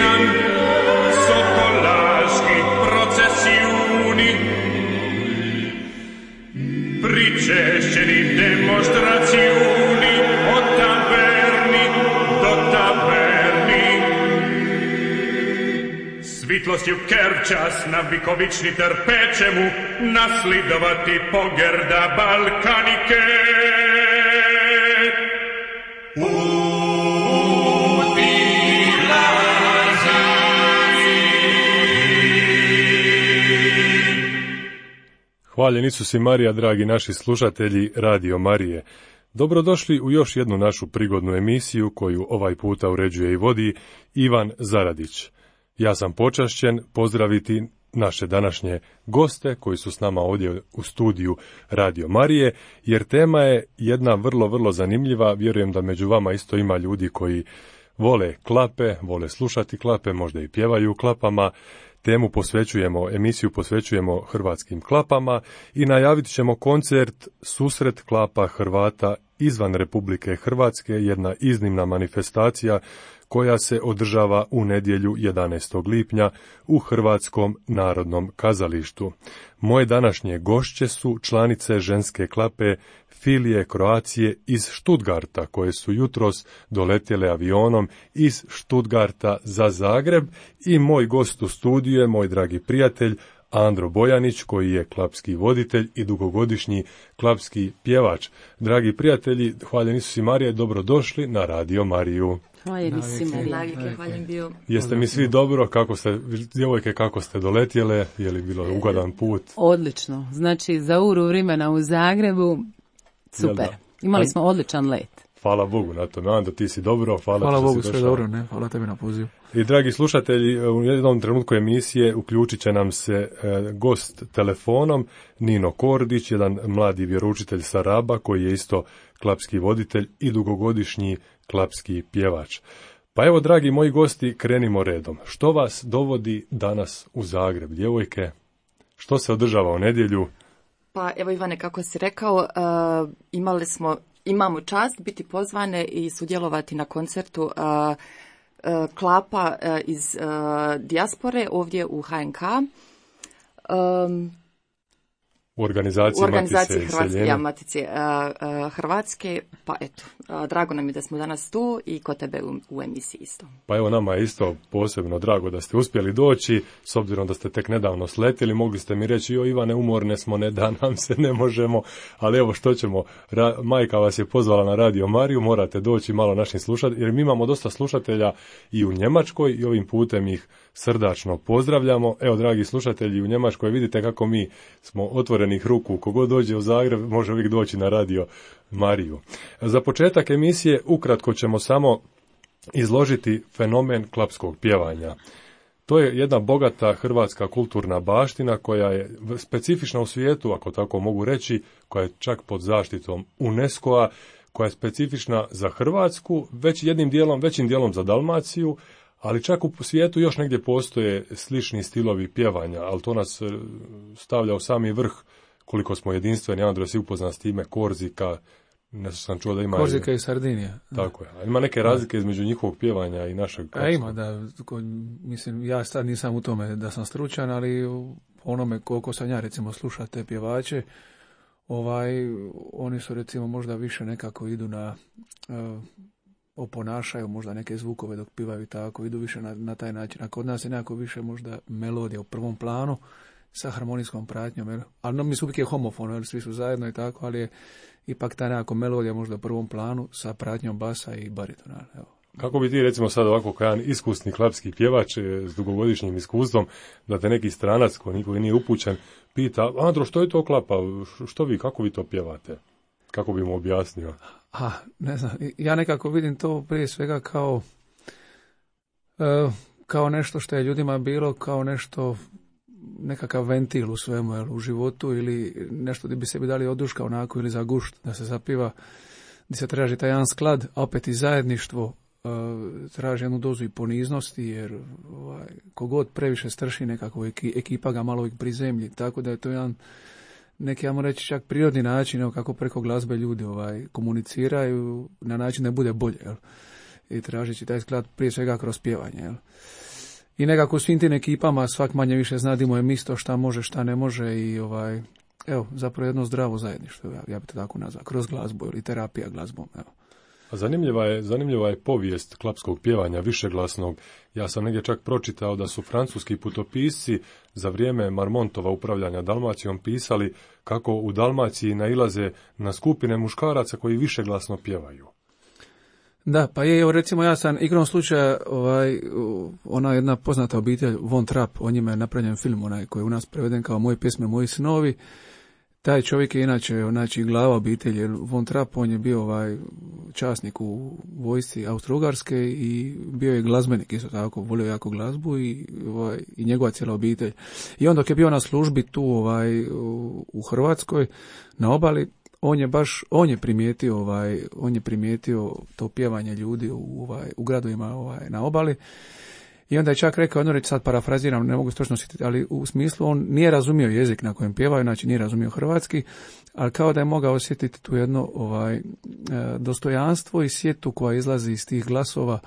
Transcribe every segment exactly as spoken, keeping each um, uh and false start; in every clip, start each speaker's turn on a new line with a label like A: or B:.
A: nam sotto laschi processioni, pricesceri demonstrazioni o taverni do taverni. Svitlosti u Kerčas na Vikovični trpečemu naslidovati pogrda Balkanike.
B: Hvaljen Isus i Marija, dragi naši slušatelji Radio Marije. Dobrodošli u još jednu našu prigodnu emisiju koju ovaj puta uređuje i vodi Ivan Zaradić. Ja sam počašćen pozdraviti naše današnje goste koji su s nama ovdje u studiju Radio Marije, jer tema je jedna vrlo, vrlo zanimljiva. Vjerujem da među vama isto ima ljudi koji vole klape, vole slušati klape, možda i pjevaju klapama. Temu posvećujemo, emisiju posvećujemo hrvatskim klapama i najavit ćemo koncert Susret klapa Hrvata izvan Republike Hrvatske, jedna iznimna manifestacija koja se održava u nedjelju jedanaestog lipnja u Hrvatskom narodnom kazalištu. Moje današnje gošće su članice ženske klape Filije Kroacije iz Stuttgarta, koje su jutros doletjele avionom iz Stuttgarta za Zagreb, i moj gost u studiju je moj dragi prijatelj Andro Bojanić, koji je klapski voditelj i dugogodišnji klapski pjevač. Dragi prijatelji, hvaljen Isus i Marija, dobrodošli na Radio Mariju.
C: Hvaljen Isus i Marija, hvaljen bio.
B: Jeste mi svi dobro, kako ste, djevojke, kako ste doletjele, je li bilo ugodan put?
C: Odlično, znači za uru vremena u Zagrebu, super. Imali smo odličan let.
B: Hvala Bogu na tome. Ando, ti si dobro. Hvala,
D: hvala Bogu,
B: sve
D: dobro, ne? Hvala tebi na pozivu.
B: I dragi slušatelji, u jednom trenutku emisije uključit će nam se e, gost telefonom, Nino Kordić, jedan mladi vjeroučitelj sa Raba, koji je isto klapski voditelj i dugogodišnji klapski pjevač. Pa evo, dragi moji gosti, krenimo redom. Što vas dovodi danas u Zagreb, djevojke? Što se održava u nedjelju?
E: Pa evo, Ivane, kako si rekao, uh, imali smo Imamo čast biti pozvane i sudjelovati na koncertu uh, uh, klapa uh, iz uh, dijaspore ovdje u H N K. Um,
B: u organizaciji,
E: u organizaciji
B: Matice
E: Hrvatske, ja, Matice uh, uh, Hrvatske. Pa eto, uh, drago nam je da smo danas tu i kod tebe u, u emisiji isto.
B: Pa evo, nama je isto posebno drago da ste uspjeli doći, s obzirom da ste tek nedavno sletjeli. Mogli ste mi reći, jo Ivane, umorne smo, ne da nam se, ne možemo, ali evo što ćemo, Ra- majka vas je pozvala na Radio Mariju, morate doći malo našim slušateljima, jer mi imamo dosta slušatelja i u Njemačkoj i ovim putem ih srdačno pozdravljamo. Evo, dragi slušatelji, u Njemačkoj vidite kako mi smo otvorenih ruku. Kogod dođe u Zagreb može uvijek doći na Radio Mariju. Za početak emisije ukratko ćemo samo izložiti fenomen klapskog pjevanja. To je jedna bogata hrvatska kulturna baština koja je specifična u svijetu, ako tako mogu reći, koja je čak pod zaštitom UNESCO-a, koja je specifična za Hrvatsku, već jednim dijelom, većim dijelom za Dalmaciju, ali čak u svijetu još negdje postoje slični stilovi pjevanja, ali to nas stavlja u sami vrh koliko smo jedinstveni. Andro, si upoznan s time, Korzika, nešto sam čuo da ima...
D: Korzika i Sardinija.
B: Tako je. Ima neke razlike između njihovog pjevanja i našeg...
D: A ima, da. Mislim, ja sad nisam u tome da sam stručan, ali onome koliko sam ja, recimo, sluša te pjevače, ovaj, oni su, recimo, možda više nekako idu na... Uh, oponašaju možda neke zvukove dok pivaju tako, idu više na, na taj način. A kod nas je nekako više možda melodija u prvom planu sa harmonijskom pratnjom, jer, ali no, mi su uvijek je homofono, jer svi su zajedno i tako, ali je ipak ta nekako melodija možda u prvom planu sa pratnjom basa i baritona. Evo.
B: Kako bi ti, recimo, sad ovako kao jedan iskusni klapski pjevač s dugogodišnjim iskustvom, da te neki stranac koji niko nije upućen pita, Andro, što je to klapa, što vi, kako vi to pjevate? Kako bi mu objasnio?
D: A, ne znam, ja nekako vidim to prije svega kao e, kao nešto što je ljudima bilo, kao nešto, nekakav ventil u svemu, jel, u životu, ili nešto gdje bi sebi dali oduška onako, ili za gušt, da se zapiva, gdje se traži taj jedan sklad, a opet i zajedništvo, e, traži jednu dozu i poniznosti, jer ovaj, kogod previše strši nekako, ekipa ga malo uvijek prizemlji, tako da je to jedan neki, ja moram reći, čak prirodni način, evo, kako preko glazbe ljudi ovaj, komuniciraju na način da bude bolje. Jel? i tražeći taj sklad prije svega kroz pjevanje. Jel? I nekako u svim tim ekipama svak manje više zna di mu je misto, šta može, šta ne može i ovaj, evo, zapravo jedno zdravo zajedništvo, ja, ja bi to tako nazvao, kroz glazbu ili terapija glazbom, evo.
B: A zanimljiva je, zanimljiva je povijest klapskog pjevanja višeglasnog. Ja sam negdje čak pročitao da su francuski putopisci za vrijeme Marmontova upravljanja Dalmacijom pisali kako u Dalmaciji nailaze na skupine muškaraca koji višeglasno pjevaju.
D: Da, pa je, evo recimo ja sam igrom slučaja, ovaj, ona jedna poznata obitelj Von Trapp, o njima je napravljen film onaj koji je u nas preveden kao Moje pjesme, moji snovi. Taj čovjek je inače, znači, glava obitelji. Von Trapp, on je bio ovaj časnik u vojsci Austro-Ugarske i bio je glazbenik, isto tako, volio jako glazbu i, ovaj, i njegova cijela obitelj. I on dok je bio na službi tu ovaj, u, u Hrvatskoj, na obali, on je baš, on je primijetio, ovaj, on je primijetio to pjevanje ljudi u, ovaj, u gradovima ovaj, na obali. I onda je čak rekao, jedno reći, sad parafraziram, ne mogu se točno sjetiti, ali u smislu on nije razumio jezik na kojem pjevaju, znači nije razumio hrvatski, ali kao da je mogao osjetiti tu jedno ovaj, dostojanstvo i sjetu koja izlazi iz tih glasova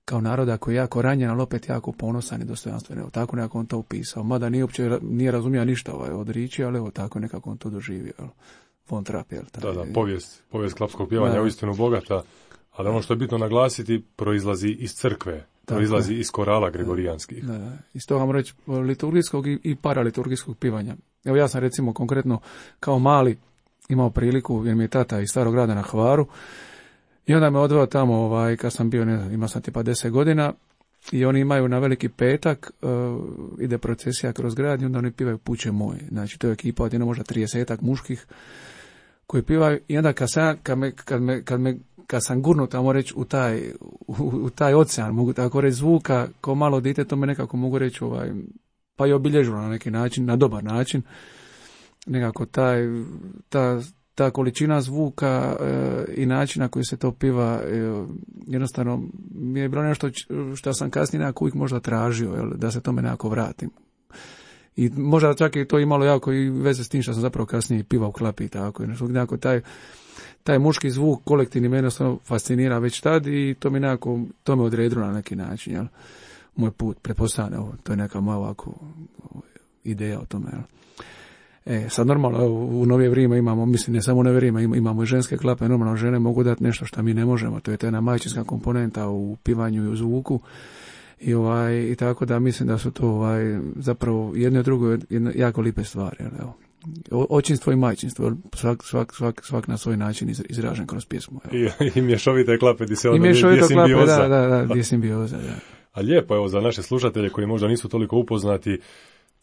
D: kao naroda koji je jako ranjen, ali opet jako ponosan i dostojanstven. Evo, tako nekako on to upisao. Mada nije uopće nije razumio ništa ovaj, od riječi, ali evo tako nekako on to doživio. Evo. Von Trapp, jel?
B: Da, da, povijest, povijest klapskog pjevanja je uistinu bogata, ali ono što je bitno naglasiti, proizlazi iz crkve. Proizlazi iz korala gregorijanskih.
D: Da, da. Iz toga vam reći liturgijskog i, i paraliturgijskog pivanja. Evo ja sam recimo konkretno kao mali imao priliku, jer mi je tata iz Starog grada na Hvaru, i onda me odveo tamo, ovaj, kad sam bio, ne znam, imao sam tipa deset godina, i oni imaju na Veliki petak, uh, ide procesija kroz grad i onda oni pivaju Puće moje. Znači to je ekipa od jedno možda tridesetak muških koji pivaju i onda kad, sam, kad, me, kad, me, kad me kad sam gurnut, tamo reći, u taj, u, u taj ocean, mogu tako reći, zvuka, kao malo dite, to me nekako mogu reći, ovaj, pa i obilježilo na neki način, na dobar način. Nekako taj, ta, ta količina zvuka e, i način na koji se to piva, e, jednostavno mi je bilo nešto što sam kasnije nekako uvijek možda tražio, jel, da se tome nekako vratim. I možda čak i to imalo jako i veze s tim što sam zapravo kasnije pivao u Klapi i tako. Nekako taj, taj muški zvuk kolektivni mene jednostavno fascinira već tad i to mi nekako, to me odredilo na neki način, jel? Moj put, pretpostavljam, to je neka moja ovako ideja o tome, jel? E, sad normalno, u novije vrijeme imamo, mislim, ne samo u novije vrijeme, imamo i ženske klape, normalno žene mogu dati nešto što mi ne možemo, to je ta jedna majčinska komponenta u pivanju i u zvuku. I, ovaj, i tako da mislim da su to ovaj, zapravo jedno i drugo jedno, jako lipe stvari. Evo. Očinstvo i majčinstvo, svak, svak, svak, svak na svoj način izražen kroz pjesmu.
B: I, I mješovite klape, di se
D: onda je simbioza. Da, da, da, gdje simbioza, da.
B: A lijepo, evo, za naše slušatelje koji možda nisu toliko upoznati,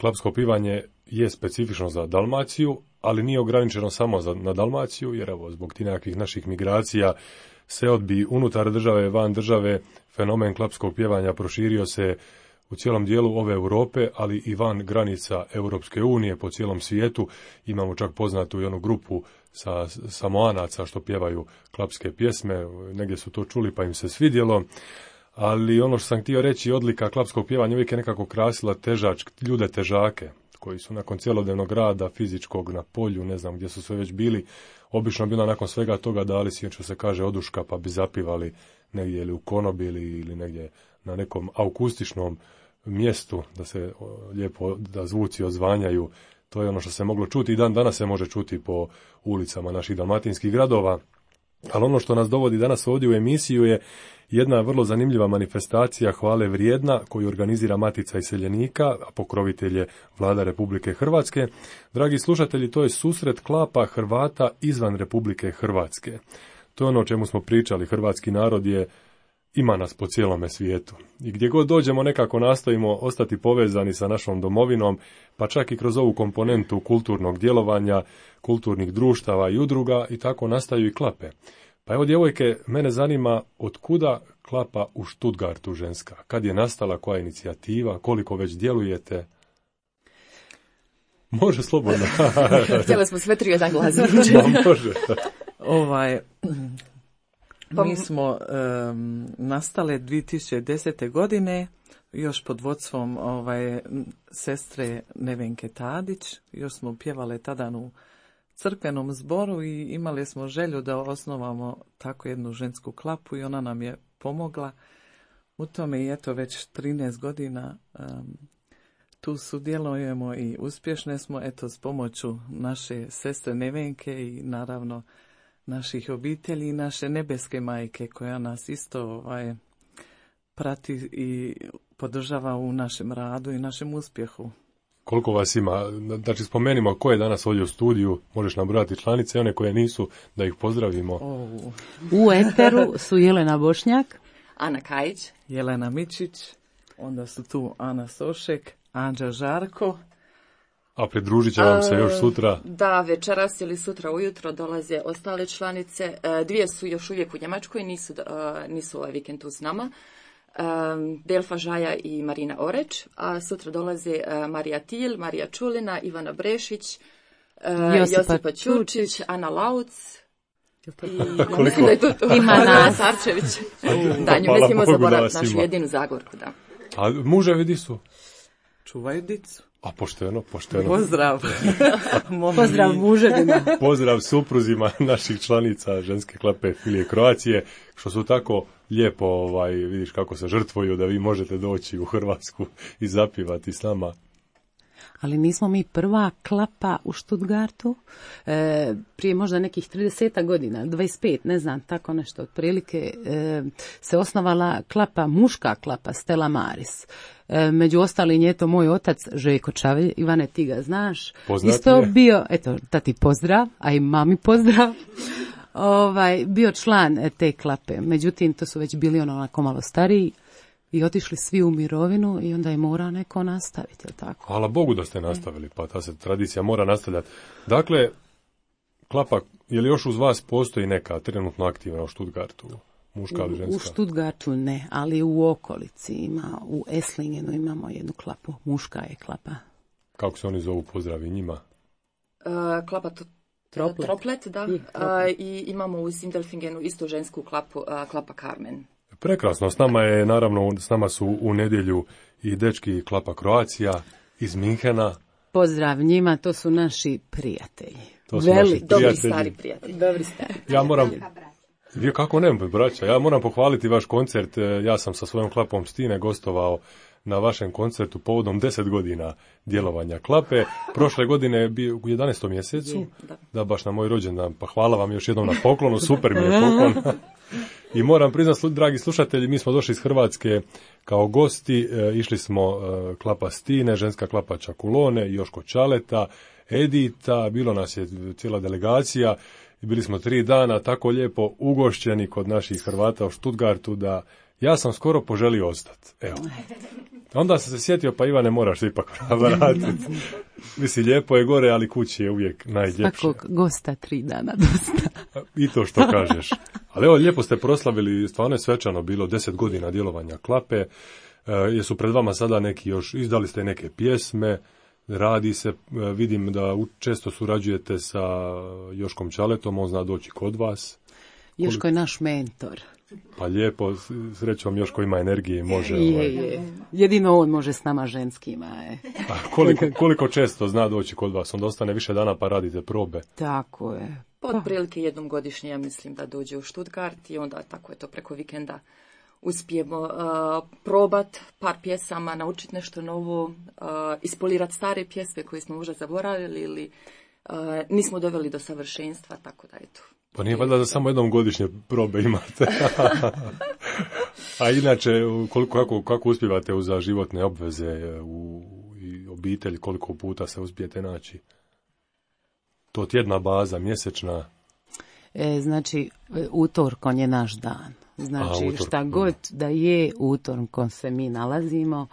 B: klapsko pivanje je specifično za Dalmaciju, ali nije ograničeno samo za, na Dalmaciju, jer evo, zbog tih nekakvih naših migracija, seodbi unutar države, van države, fenomen klapskog pjevanja proširio se u cijelom dijelu ove Europe, ali i van granica Europske unije po cijelom svijetu. Imamo čak poznatu i onu grupu sa Samoanaca što pjevaju klapske pjesme, negdje su to čuli pa im se svidjelo. Ali ono što sam htio reći, odlika klapskog pjevanja uvijek je nekako krasila težač, ljude težake, koji su nakon cjelodnevnog rada, fizičkog na polju, ne znam gdje su sve već bili, obično bila nakon svega toga dali si, što se kaže, oduška, pa bi zapivali negdje ili u konobi ili, ili negdje na nekom akustičnom mjestu, da se lijepo, da zvuci odzvanjaju. To je ono što se moglo čuti i dan danas se može čuti po ulicama naših dalmatinskih gradova. Ali ono što nas dovodi danas ovdje u emisiju je jedna vrlo zanimljiva manifestacija hvale vrijedna koju organizira Matica iseljenika, a pokrovitelj je Vlada Republike Hrvatske. Dragi slušatelji, to je susret klapa Hrvata izvan Republike Hrvatske. To je ono o čemu smo pričali. Hrvatski narod je, ima nas po cijelome svijetu. I gdje god dođemo nekako nastojimo ostati povezani sa našom domovinom, pa čak i kroz ovu komponentu kulturnog djelovanja, kulturnih društava i udruga, i tako nastaju i klape. Pa evo, djevojke, mene zanima od kuda klapa u Stuttgartu ženska? Kad je nastala, koja je inicijativa, koliko već djelujete? Može slobodno.
E: Htjeli smo sve tri jedan glas.
B: Može.
F: Ovaj, mi smo um, nastale dvije tisuće desete. godine, još pod vodstvom ovaj, sestre Nevenke Tadić. Još smo pjevale tada u crkvenom zboru i imali smo želju da osnovamo tako jednu žensku klapu i ona nam je pomogla u tome i eto već trinaest godina um, tu sudjelujemo i uspješne smo eto s pomoću naše sestre Nevenke i naravno naših obitelji i naše nebeske majke koja nas isto ovaj, prati i podržava u našem radu i našem uspjehu.
B: Koliko vas ima? Znači spomenimo ko je danas ovdje u studiju, možeš nabrojati članice, one koje nisu, da ih pozdravimo.
F: Oh.
C: U eteru su Jelena Bošnjak,
E: Ana Kajić,
F: Jelena Mičić, onda su tu Ana Sošek, Anđa Žarko.
B: A pridružit će vam se još sutra?
E: Da, večeras ili sutra ujutro dolaze ostale članice. Dvije su još uvijek u Njemačkoj, nisu, nisu ovaj vikend tu s nama. Delfa Žaja i Marina Oreć, a sutra dolaze Marija Til, Marija Čulina, Ivana Brešić, Josipa, Josipa Ćurčić, Ana Lauc i mislim da je tu, tu
C: ima nas
E: Sarčević. Da, nju ne smijemo zaboraviti, našu jedinu Zagorku, da.
B: A muževi di su?
F: Čuvaju dicu.
B: A pošteno, pošteno.
F: Pozdrav.
C: Pozdrav muževima.
B: Pozdrav supruzima naših članica ženske klape Filije Kroacije, što su tako lijepo, ovaj, vidiš kako se žrtvuju da vi možete doći u Hrvatsku i zapivati s nama.
C: Ali nismo mi prva klapa u Stuttgartu, e, prije možda nekih trideset godina, dvadeset pet, ne znam, tako nešto, otprilike e, se osnovala klapa, muška klapa, Stella Maris. E, među ostalim je to moj otac Željko Čavelj, Ivane ti ga znaš.
B: Poznat
C: isto
B: je.
C: Bio, eto, tati pozdrav, a i mami pozdrav. Ovaj, bio član te klape, međutim to su već bili ono onako malo stariji. I otišli svi u mirovinu i onda je mora neko nastaviti, je li tako?
B: Hvala Bogu da ste nastavili, pa ta se tradicija mora nastavljati. Dakle, klapa, je li još uz vas postoji neka trenutno aktivna u Stuttgartu, muška ili ženska?
C: U Stuttgartu ne, ali u okolici ima, u Esslingenu imamo jednu klapu, muška je klapa.
B: Kako se oni zovu, pozdravi njima?
E: Uh, klapa to,
C: Troplet.
E: Troplet, da.
C: I,
E: troplet. Uh, I imamo u Sindelfingenu isto žensku klapu, uh, klapa Carmen.
B: Prekrasno, s nama je, naravno, s nama su u nedjelju i dečki klapa Kroacija iz Minhena.
C: Pozdrav njima, to su naši prijatelji.
B: To su
C: Veli,
B: naši
E: Dobri
B: prijatelji.
E: stari prijatelji.
C: Dobri stari.
B: Ja moram, vi kako ne, braća, ja moram pohvaliti vaš koncert, ja sam sa svojom klapom Stine gostovao na vašem koncertu povodom deset godina djelovanja klape. Prošle godine je bio u jedanaestom mjesecu,
E: da.
B: da baš na moj rođendan, pa hvala vam još jednom na poklonu, super mi je poklon. I moram priznati, dragi slušatelji, mi smo došli iz Hrvatske kao gosti, e, išli smo e, klapa Stine, ženska klapa Čakulone, Joško Čaleta, Edita, bilo nas je cijela delegacija i bili smo tri dana tako lijepo ugošćeni kod naših Hrvata u Stuttgartu da ja sam skoro poželio ostati. Evo. Onda sam se sjetio, pa Ivane, moraš se ipak vratiti. Mislim, lijepo je gore, ali kući je uvijek najljepše.
C: Svakog gosta tri dana dosta.
B: I to što kažeš. Ali evo, lijepo ste proslavili, stvarno je svečano bilo deset godina djelovanja klape. E, jesu pred vama sada neki još, izdali ste neke pjesme, radi se, e, vidim da u, često surađujete sa Joškom Čaletom, on zna doći kod vas.
C: Joško je naš mentor.
B: Pa lijepo, srećom Joško ima energije i može.
C: Je,
B: ovaj.
C: je. Jedino on može s nama ženskima. Je.
B: A koliko, koliko često zna doći kod vas? Onda ostane više dana pa radite probe.
C: Tako je.
E: Pa otprilike jednom godišnje, ja mislim da dođe u Stuttgart i onda tako je to preko vikenda uspijemo uh, probat par pjesama, naučiti nešto novo, uh, ispolirati stare pjesme koje smo možda zaboravili ili uh, nismo doveli do savršenstva, tako da eto.
B: Pa nije valjda da samo jednom godišnje probe imate. A inače, koliko, kako, kako uspijevate uz životne obveze u i obitelj, koliko puta se uspijete naći? To tjedna baza, mjesečna?
C: E, znači, utorkom je naš dan. Znači,
B: A, utorkom.
C: šta god da je, utorkom se mi nalazimo.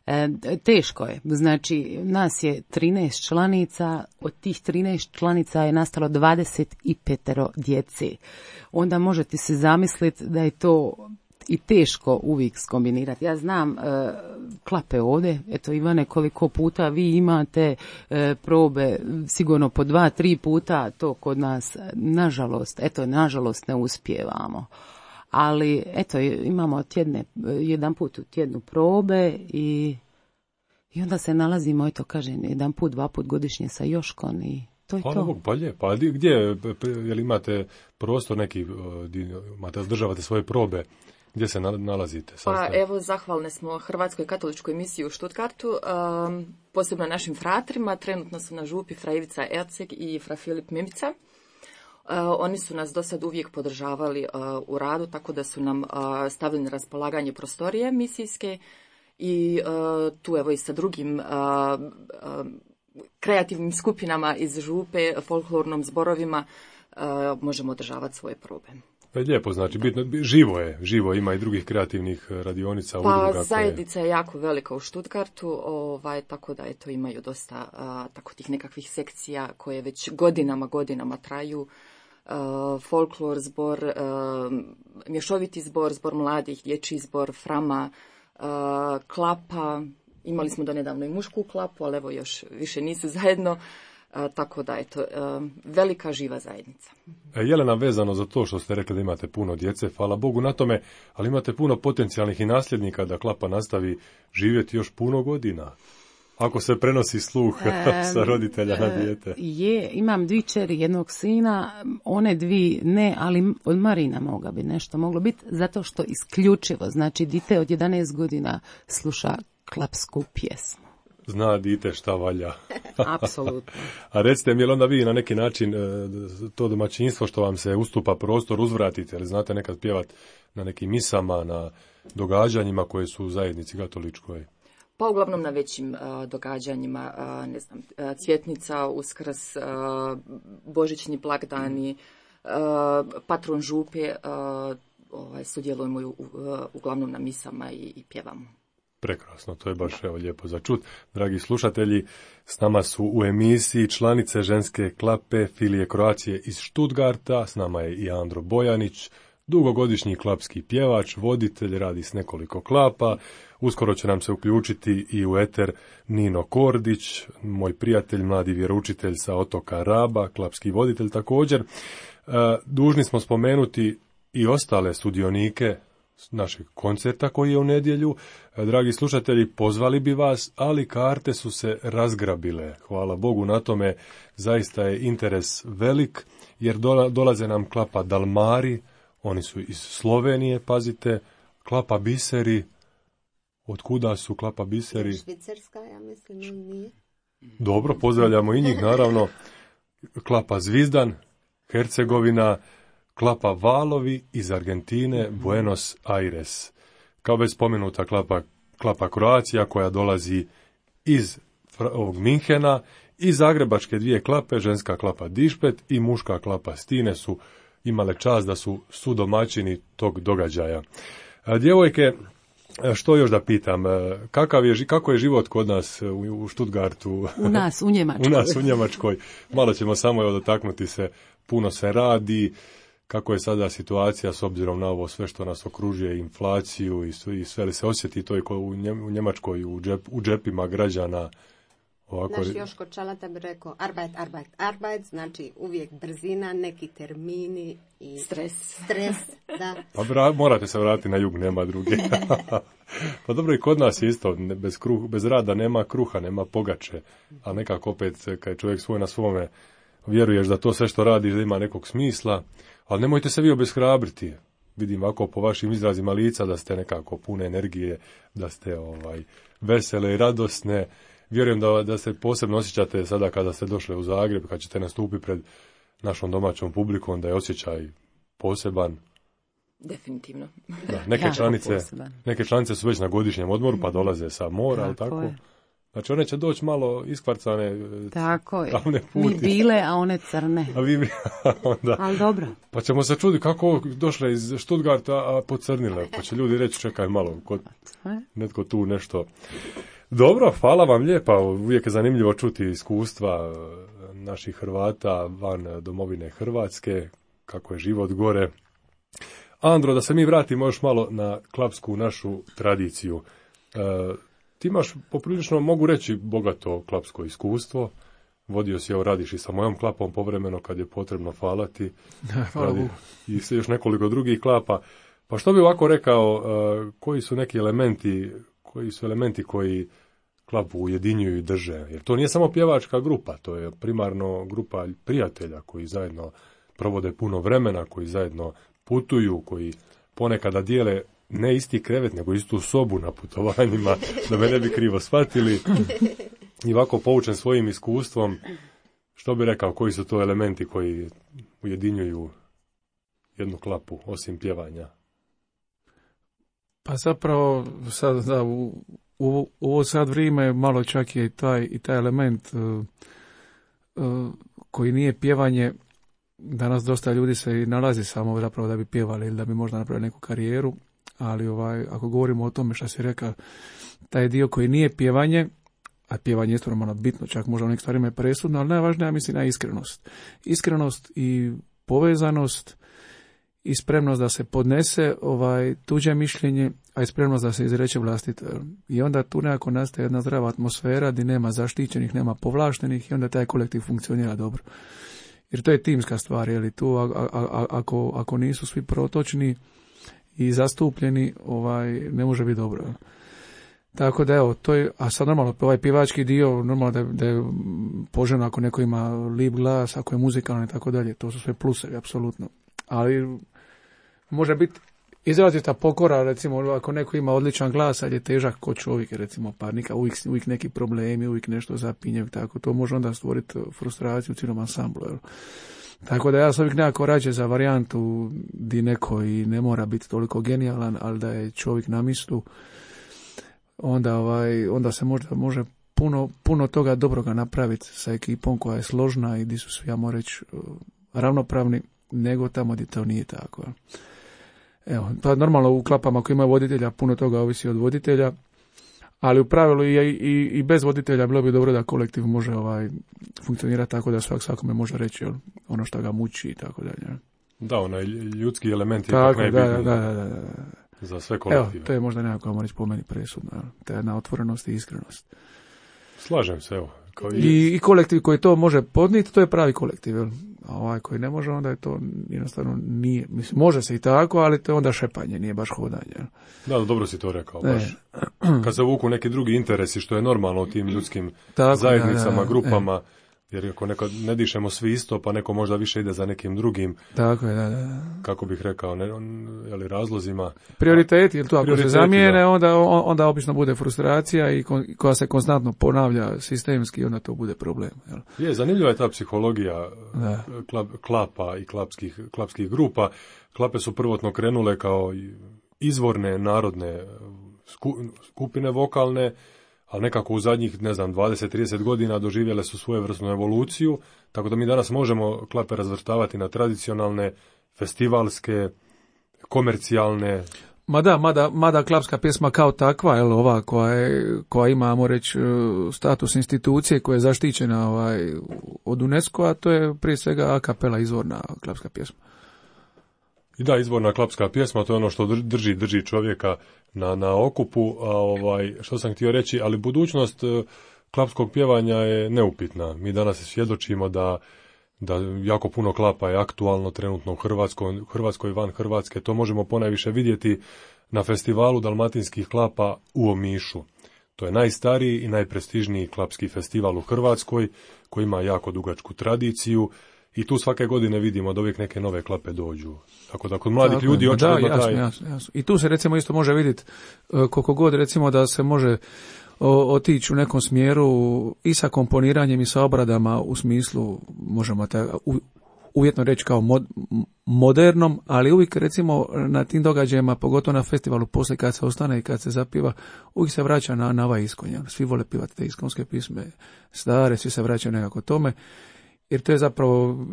C: E, teško je. Znači, nas je trinaest članica, od tih trinaest članica je nastalo dvadeset pet djece. Onda možete se zamisliti da je to i teško uvijek skombinirati. Ja znam e, klape ovdje, eto Ivane, koliko puta vi imate e, probe, sigurno po dva, tri puta, to kod nas, nažalost, eto, nažalost ne uspijevamo. Ali, eto, imamo tjedne, jedan put u tjednu probe i, i onda se nalazimo, eto, kažem, jedan put, dva put godišnje sa Joškom i to je
B: Hvala
C: to.
B: Bog, pa lijepo. A gdje, jel imate prostor neki, imate, održavate svoje probe, Gdje se nalazite?
E: Pa evo, zahvalne smo Hrvatskoj katoličkoj misiji u Stuttgartu, um, posebno našim fratrima. Trenutno su na župi fra Ivica Erceg i fra Filip Mimica. Uh, oni su nas do sad uvijek podržavali uh, u radu, tako da su nam uh, stavili na raspolaganje prostorije misijske i uh, tu evo i sa drugim uh, uh, kreativnim skupinama iz župe, folklornom zborovima uh, možemo održavati svoje probe.
B: Pa je lijepo, znači, bitno, živo je, živo ima i drugih kreativnih radionica,
E: pa,
B: udruga.
E: Pa zajednica je jako velika u Stuttgartu, ovaj, tako da eto imaju dosta a, tako tih nekakvih sekcija koje već godinama, godinama traju. A, folklor zbor, a, mješoviti zbor, zbor mladih, dječji zbor, frama, a, klapa. Imali smo donedavno i mušku klapu, ali evo još više nisu zajedno. A, tako da, eto, a, velika živa zajednica.
B: E, Jelena, vezano za to što ste rekli da imate puno djece, hvala Bogu na tome, ali imate puno potencijalnih i nasljednika da klapa nastavi živjeti još puno godina. Ako se prenosi sluh e, sa roditelja na dijete.
C: Je, imam dvi čeri, jednog sina, one dvi ne, ali od Marina moga bi nešto moglo biti, zato što isključivo, znači, dite od jedanaest godina sluša klapsku pjesmu.
B: Zna dite šta valja.
C: Apsolutno.
B: A recite mi, je li onda vi na neki način to domaćinstvo što vam se ustupa prostor uzvratite, ali znate nekad pjevat na nekim misama, na događanjima koje su u zajednici katoličkoj?
E: Pa uglavnom na većim uh, događanjima, uh, ne znam, uh, Cvjetnica, Uskrs, uh, Božićni blagdani, uh, patron župe, uh, ovaj, sudjelujemo u, uh, uglavnom na misama i, i pjevamo.
B: Prekrasno, to je baš evo lijepo za čut. Dragi slušatelji, s nama su u emisiji članice ženske klape Filije Kroacije iz Stuttgarta, s nama je i Andro Bojanić, dugogodišnji klapski pjevač, voditelj, radi s nekoliko klapa. Uskoro će nam se uključiti i u eter Nino Kordić, moj prijatelj, mladi vjeroučitelj sa otoka Raba, klapski voditelj također. Dužni smo spomenuti i ostale sudionike našeg koncerta koji je u nedjelju. Dragi slušatelji, pozvali bi vas, ali karte su se razgrabile. Hvala Bogu na tome, zaista je interes velik, jer dolaze nam klapa Dalmari, oni su iz Slovenije, pazite, klapa Biseri. Od kuda su klapa Biseri?
G: Švicarska, ja mislim, nije.
B: Dobro, pozdravljamo i njih, naravno. Klapa Zvizdan, Hercegovina, klapa Valovi iz Argentine, Buenos Aires. Kao već spomenuta klapa, klapa Kroacija koja dolazi iz ovog Minhena i zagrebačke dvije klape, ženska klapa Dišpet i muška klapa Stine su imale čast da su sudomaćini tog događaja. A, djevojke, što još da pitam, kakav je, kako je život kod nas u, u Stuttgartu?
C: U nas, u Njemačkoj.
B: U nas, u Njemačkoj. Malo ćemo samo evo dotaknuti se, puno se radi. Kako je sada situacija s obzirom na ovo sve što nas okružuje, inflaciju i sve, i sve li se osjeti to i u Njemačkoj, u, džep, u džepima građana? Ovako...
G: Naš Joško Čalata bi rekao arbeit, arbeit, arbeit, znači uvijek brzina, neki termini i
E: stres.
G: Stres, da.
B: Pa vra, morate se vratiti na jug, nema druge. Pa dobro, i kod nas je isto, bez, kruh, bez rada nema kruha, nema pogače, a nekako opet kad je čovjek svoj na svome, vjeruješ da to sve što radiš da ima nekog smisla, ali nemojte se vi obeshrabriti. Vidim ovako po vašim izrazima lica da ste nekako pune energije, da ste ovaj vesele i radosne. Vjerujem da, da se posebno osjećate sada kada ste došli u Zagreb, kad ćete nastupiti pred našom domaćom publikom, da je osjećaj poseban.
E: Definitivno.
B: Da, neke, članice, neke članice su već na godišnjem odmoru pa dolaze sa mora, ali tako? Je. Znači one će doći malo iskvarcane.
C: Tako je. Mi bile, a one crne.
B: A vi onda.
C: Ali dobro.
B: Pa ćemo se čuditi kako došle iz Stuttgarta, a pocrnile. Pa će ljudi reći čekaj malo, kod, netko tu nešto. Dobro, hvala vam lijepa. Uvijek je zanimljivo čuti iskustva naših Hrvata van domovine Hrvatske, kako je život gore. Andro, da se mi vratimo još malo na klapsku našu tradiciju. E, ti imaš poprilično, mogu reći, bogato klapsko iskustvo. Vodio si, evo, radiš i sa mojom klapom povremeno kad je potrebno falati. Radi, i se još nekoliko drugih klapa. Pa što bi ovako rekao, e, koji su neki elementi, koji su elementi koji klapu ujedinjuju i drže? Jer to nije samo pjevačka grupa, to je primarno grupa prijatelja koji zajedno provode puno vremena, koji zajedno putuju, koji ponekada dijele ne isti krevet, nego istu sobu na putovanjima, da me ne bi krivo shvatili. I ovako poučen svojim iskustvom, što bi rekao, koji su to elementi koji ujedinjuju jednu klapu, osim pjevanja?
D: Pa zapravo, sad, da, u, u, u ovo sad vrijeme malo čak je i taj, i taj element uh, uh, koji nije pjevanje. Danas dosta ljudi se i nalazi samo zapravo da bi pjevali ili da bi možda napravili neku karijeru, ali ovaj, ako govorimo o tome što si rekao, taj dio koji nije pjevanje, a pjevanje je normalno bitno, čak možda u nekim stvarima je presudno, ali najvažnija mislim je iskrenost. Iskrenost i povezanost i spremnost da se podnese ovaj tuđe mišljenje, a i spremnost da se izreče vlastito. I onda tu nekako nastaje jedna zdrava atmosfera gdje nema zaštićenih, nema povlaštenih i onda taj kolektiv funkcionira dobro. Jer to je timska stvar, je li tu a, a, a, ako, ako nisu svi protočni i zastupljeni, ovaj ne može biti dobro. Tako da evo, to je, a sad normalno, ovaj pjevački dio, normalno da, da je poželjno ako neko ima lip glas, ako je muzikalan i tako dalje, to su sve plusevi, apsolutno. Ali može biti izrazita pokora, recimo, ako neko ima odličan glas, ali je težak ko čovjek, recimo, pa nika, uvijek, uvijek neki problemi, uvijek nešto zapinje, tako, to može onda stvoriti frustraciju u cijelom ansamblu, jel? Tako da ja sam uvijek nekako rađe za varijantu di neko i ne mora biti toliko genijalan, ali da je čovjek na mjestu, onda, ovaj, onda se možda može puno, puno toga dobroga napraviti sa ekipom koja je složna i di su svi, ja moram reći, ravnopravni, nego tamo gdje to nije tako. Evo, pa normalno u klapama koji imaju voditelja, puno toga ovisi od voditelja, ali u pravilu i, i, i bez voditelja bilo bi dobro da kolektiv može ovaj funkcionirati tako da svak svakome može reći jel, ono što ga muči i tako dalje.
B: Da, onaj ljudski element je
D: tako,
B: ipak
D: da,
B: najbitniji
D: da, da, da, da.
B: za sve kolektive.
D: Evo, to je možda nekako moći po meni presudno, ta jedna otvorenost i iskrenost.
B: Slažem se, evo. Kao i...
D: I, I kolektiv koji to može podniti, to je pravi kolektiv, jel? A ovaj koji ne može, onda je to jednostavno nije, mislim, može se i tako, ali to je onda šepanje, nije baš hodanje. Jel?
B: Da, dobro si to rekao, baš. Kad se vuku neki drugi interesi, što je normalno u tim ljudskim tako, zajednicama, da, da, grupama, e. Jer ako neko, ne dišemo svi isto, pa neko možda više ide za nekim drugim,
D: tako je, da, da.
B: Kako bih rekao, ne, jeli, razlozima.
D: Prioriteti, jer to ako se zamijene, da. onda, onda obično bude frustracija i kon, koja se konstantno ponavlja sistemski, onda to bude problem. Jel?
B: Je, zanimljiva je ta psihologija klap, klapa i klapskih, klapskih grupa. Klape su prvotno krenule kao izvorne narodne skupine vokalne, ali nekako u zadnjih, ne znam, dvadeset do trideset godina doživjele su svojevrsnu evoluciju, tako da mi danas možemo klape razvrstavati na tradicionalne, festivalske, komercijalne.
D: Mada, mada, mada klapska pjesma kao takva, jel, ova koja, je, koja ima, ajmo reći, status institucije koja je zaštićena ovaj, od UNESCO-a, to je prije svega a kapela izvorna klapska pjesma.
B: I da, izvorna klapska pjesma, to je ono što drži, drži čovjeka na, na okupu, a ovaj, što sam htio reći, ali budućnost klapskog pjevanja je neupitna. Mi danas svjedočimo da, da jako puno klapa je aktualno trenutno u Hrvatskoj, Hrvatskoj van Hrvatske. To možemo ponajviše vidjeti na festivalu dalmatinskih klapa u Omišu. To je najstariji i najprestižniji klapski festival u Hrvatskoj, koji ima jako dugačku tradiciju. I tu svake godine vidimo da uvijek neke nove klape dođu. Tako da kod mladih tako, ljudi očigledno
D: da, jasno,
B: taj...
D: jasno, jasno. I tu se recimo isto može vidjeti koliko god recimo da se može o, otići u nekom smjeru i sa komponiranjem i sa obradama u smislu, možemo ta, u, uvjetno reći kao mod, modernom, ali uvijek recimo na tim događajima, pogotovo na festivalu, poslije kad se ostane i kad se zapiva, uvijek se vraća na, na ovaj iskonja. Svi vole pivati te iskonske pisme stare, svi se vraćaju nekako tome. Jer to je zapravo,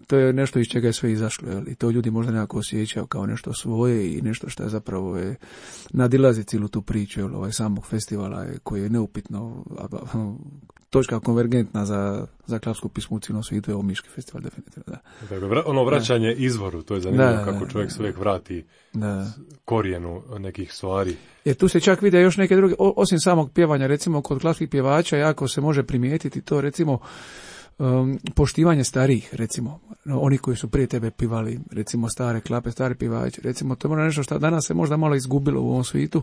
D: to je nešto iz čega je sve izašlo, jel? I to ljudi možda nekako osjećaju kao nešto svoje i nešto što je zapravo je, nadilazi cijelu tu priču, jel? Ovaj samog festivala je, koji je neupitno točka konvergentna za, za klapsku pismu u cijelom svijetu, je Omiški festival definitivno, da.
B: Dakle, ono vraćanje da. izvoru, to je zanimljivo da, kako čovjek se uvijek vrati da. korijenu nekih stvari.
D: Jer tu se čak vide još neke druge, osim samog pjevanja, recimo kod klapskih pjevača jako se može primijetiti to, recimo um, poštivanje starijih, recimo, oni koji su prije tebe pivali, recimo stare klape, stari pivači, recimo to je nešto što danas se možda malo izgubilo u ovom svijetu,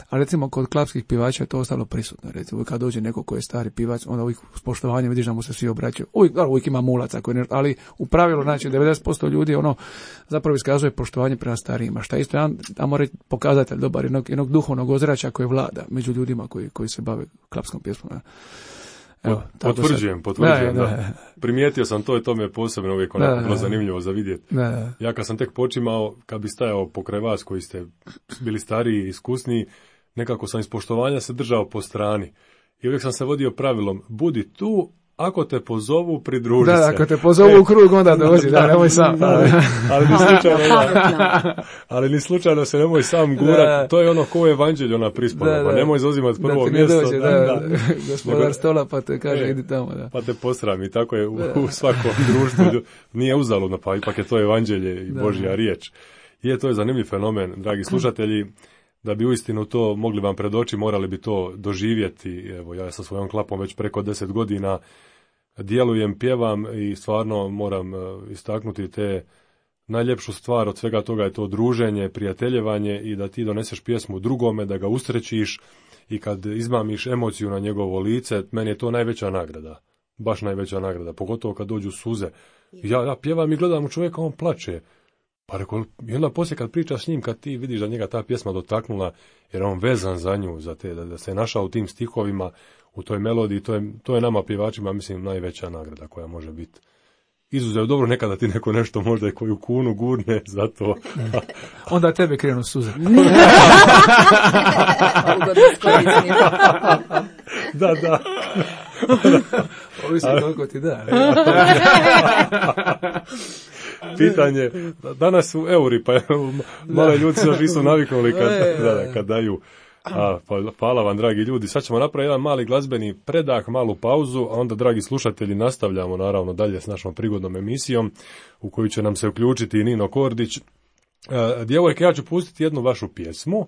D: a recimo kod klapskih pivača je to ostalo prisutno, recimo kad dođe neko koji je stari pivač, onda uvijek s poštovanjem vidiš da mu se svi obraćaju, uvijek, uvijek ima mulaca, koji nešto, ali u pravilu, znači, devedeset posto ljudi ono zapravo iskazuje poštovanje prema starijima, šta isto jedan, ajmo reći, pokazatelj dobar jednog, jednog duhovnog ozračja koje vlada među ljudima koji, koji se bave klapskom pjesmom.
B: Evo, potvrđujem, potvrđujem, da, da. da. Primijetio sam to i to me je posebno uvijek onako da, bilo zanimljivo za vidjeti. Da, da. Ja kad sam tek počimao, kad bi stajao pokraj vas koji ste bili stariji i iskusniji, nekako sam iz poštovanja se držao po strani. I uvijek sam se vodio pravilom, budi tu, ako te pozovu, pridruži
D: da,
B: se.
D: Da, ako te pozovu e, u krug, onda dođi, da, da, nemoj sam.
B: Ali, ali, ni slučajno, da, ali ni slučajno se nemoj sam gurat, to je ono ko je evanđelj, ona prispoda, pa nemoj zauzimati prvo
D: da
B: mjesto.
D: Dođe, da, da, da, gospodar stola pa te kaže, e, idi tamo. Da.
B: Pa te posram i tako je u, u svakom društvu, nije uzaludno, pa ipak je to evanđelje i da, Božja riječ. Je, to je zanimljiv fenomen, dragi slušatelji. Da bi uistinu to mogli vam predoći, morali bi to doživjeti. Evo, ja sa svojom klapom već preko deset godina djelujem, pjevam i stvarno moram istaknuti te najljepšu stvar od svega toga je to druženje, prijateljevanje i da ti doneseš pjesmu drugome, da ga usrećiš i kad izmamiš emociju na njegovo lice, meni je to najveća nagrada. Baš najveća nagrada, pogotovo kad dođu suze. Ja, ja pjevam i gledam u čovjeka, on plače. Pa rekao, i onda poslije kad pričaš s njim, kad ti vidiš da njega ta pjesma dotaknula, jer on vezan za nju, za te, da, da se našao u tim stihovima, u toj melodiji, to je, to je nama pjevačima, mislim, najveća nagrada koja može biti. Izuzev, dobro, nekada ti neko nešto možda i koju kunu gurne za to.
D: Onda tebe krenu suze.
B: Da, da.
D: Ovisi koliko ti da.
B: Pitanje, danas su euri, pa malo ljudi se još nisu naviknuli kad, da, da, kad daju. A, pa, hvala vam, dragi ljudi. Sad ćemo napraviti jedan mali glazbeni predah, malu pauzu, a onda, dragi slušatelji, nastavljamo naravno dalje s našom prigodnom emisijom u koju će nam se uključiti i Nino Kordić. E, djevojke, ja ću pustiti jednu vašu pjesmu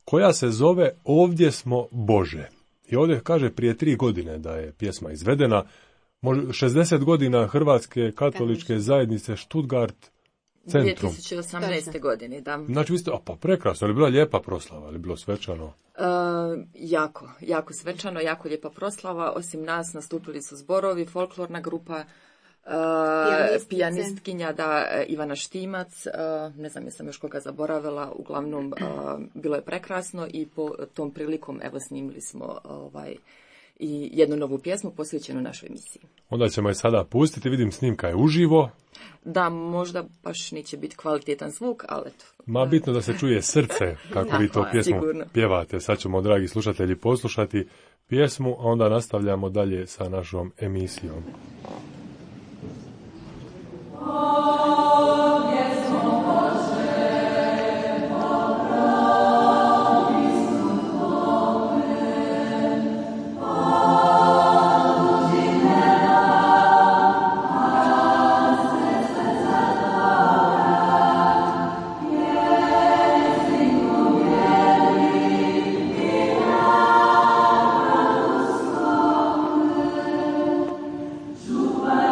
B: koja se zove Ovdje smo Bože. I ovdje kaže prije tri godine da je pjesma izvedena. šezdeset godina Hrvatske katoličke zajednice Stuttgart centrum.
E: dvije tisuće osamnaeste. godine, da.
B: Znači, vi ste, a pa prekrasno, ali bila lijepa proslava, ali bilo svečano?
E: Uh, jako, jako svečano, jako lijepa proslava. Osim nas nastupili su zborovi, folklorna grupa, uh, pijanistkinja, da, Ivana Štimac, uh, ne znam jesam još koga zaboravila, uglavnom uh, bilo je prekrasno i po tom prilikom, evo, snimili smo ovaj i jednu novu pjesmu posvećenu našoj emisiji.
B: Onda ćemo je sada pustiti, vidim snimka je uživo.
E: Da, možda baš neće biti kvalitetan zvuk, ali eto.
B: Ma bitno da se čuje srce kako da, vi to pjesmu sigurno pjevate. Sad ćemo, dragi slušatelji, poslušati pjesmu, a onda nastavljamo dalje sa našom emisijom.
H: Super.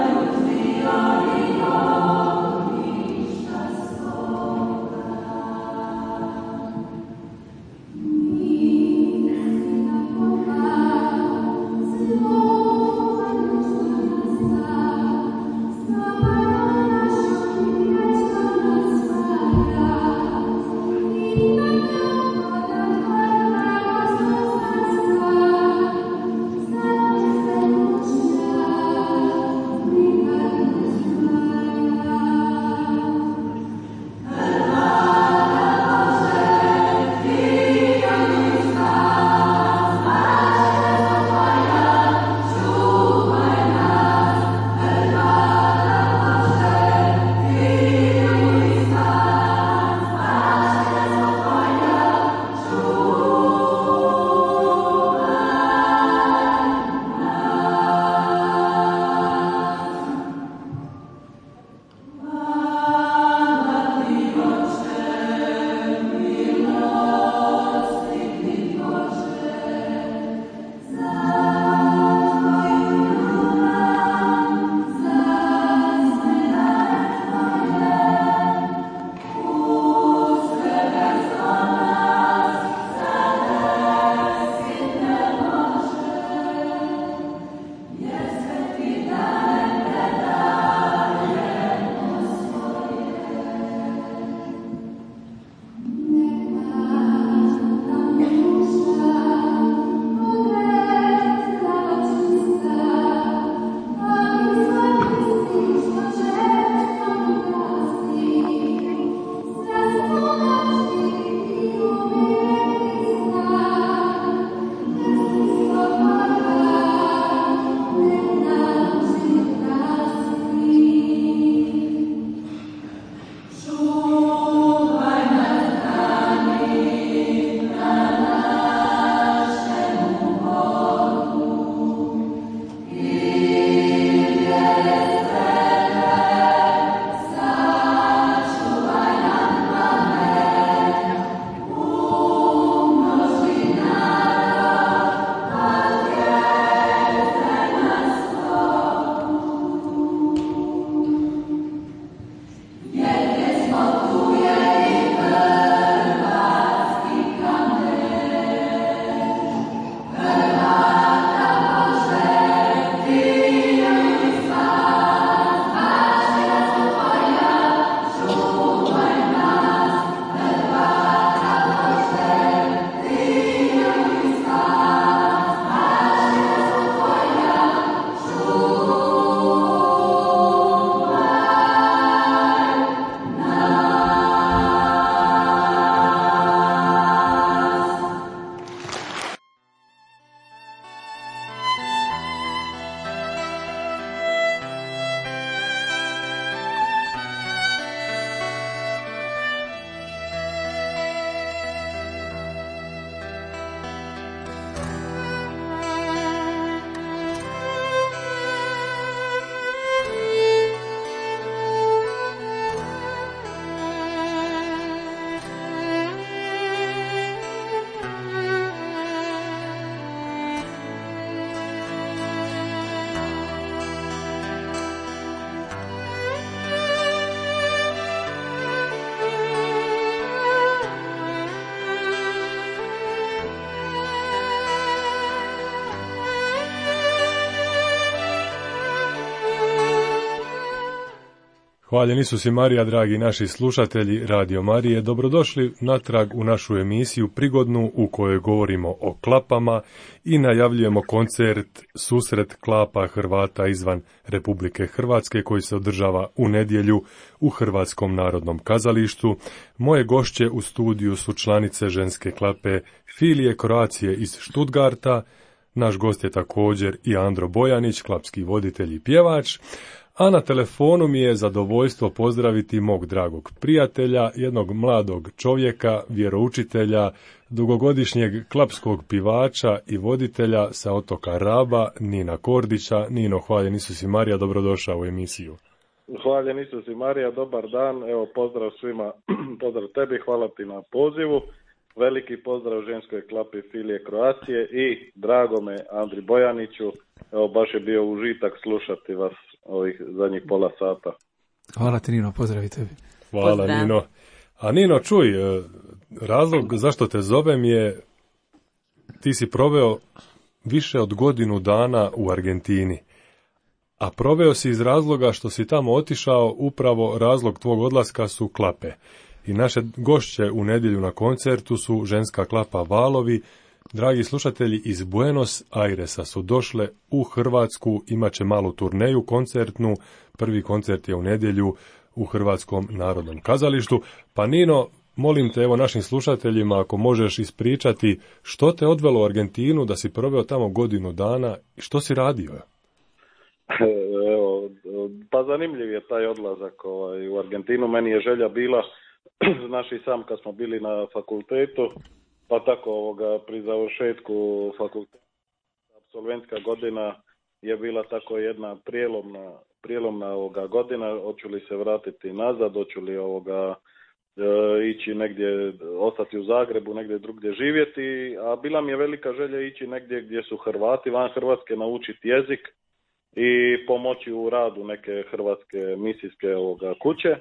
B: Hvaljen Isus i Marija, dragi naši slušatelji Radio Marije, dobrodošli natrag u našu emisiju prigodnu u kojoj govorimo o klapama i najavljujemo koncert Susret klapa Hrvata izvan Republike Hrvatske koji se održava u nedjelju u Hrvatskom narodnom kazalištu. Moje gošće u studiju su članice ženske klape Filije Kroacije iz Stuttgarta, naš gost je također i Andro Bojanić, klapski voditelj i pjevač. A na telefonu mi je zadovoljstvo pozdraviti mog dragog prijatelja, jednog mladog čovjeka, vjeroučitelja, dugogodišnjeg klapskog pivača i voditelja sa otoka Raba, Nina Kordića. Nino, hvaljen Isus i Marija, dobrodošao u emisiju.
H: Hvaljen Isus i Marija, dobar dan, evo pozdrav svima, pozdrav tebi, hvala ti na pozivu. Veliki pozdrav ženskoj klapi Filije Kroacije i dragome Andri Bojaniću. Evo, baš je bio užitak slušati vas ovih zadnjih pola sata.
D: Hvala ti, Nino, pozdravi tebi.
B: Hvala,
C: Pozdrav.
B: Nino. A Nino, čuj, razlog zašto te zovem je, ti si proveo više od godinu dana u Argentini, a proveo si iz razloga što si tamo otišao, upravo razlog tvog odlaska su klape. I naše gošće u nedjelju na koncertu su ženska klapa Valovi. Dragi slušatelji, iz Buenos Airesa su došle u Hrvatsku, imat će malu turneju koncertnu. Prvi koncert je u nedjelju u Hrvatskom narodnom kazalištu. Pa Nino, molim te, evo našim slušateljima, ako možeš ispričati što te odvelo u Argentinu, da si proveo tamo godinu dana i što si radio?
H: Evo, pa zanimljiv je taj odlazak ovaj, u Argentinu. Meni je želja bila, znaš i sam kad smo bili na fakultetu, pa tako ovoga, pri završetku fakulteta, apsolventska godina je bila tako jedna prijelomna, prijelomna ovoga godina, hoću li se vratiti nazad, hoću li ovoga, e, ići negdje, ostati u Zagrebu, negdje drugdje živjeti, a bila mi je velika želja ići negdje gdje su Hrvati van Hrvatske, naučiti jezik i pomoći u radu neke hrvatske misijske ovoga, kuće.